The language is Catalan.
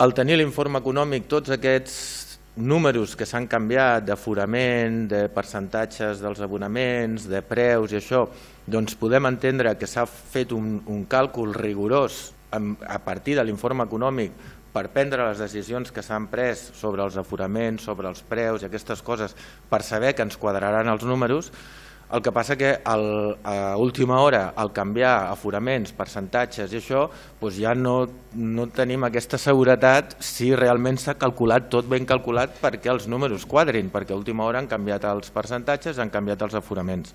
Al tenir l'informe econòmic, tots aquests números que s'han canviat d'aforament, de percentatges dels abonaments, de preus i això, doncs podem entendre que s'ha fet un càlcul rigorós a partir de l'informe econòmic per prendre les decisions que s'han pres sobre els aforaments, sobre els preus i aquestes coses per saber que ens quadraran els números. El que passa que a última hora, al canviar aforaments, percentatges i això, ja no tenim aquesta seguretat si realment s'ha calculat tot ben calculat perquè els números quadrin, perquè a última hora han canviat els percentatges, han canviat els aforaments.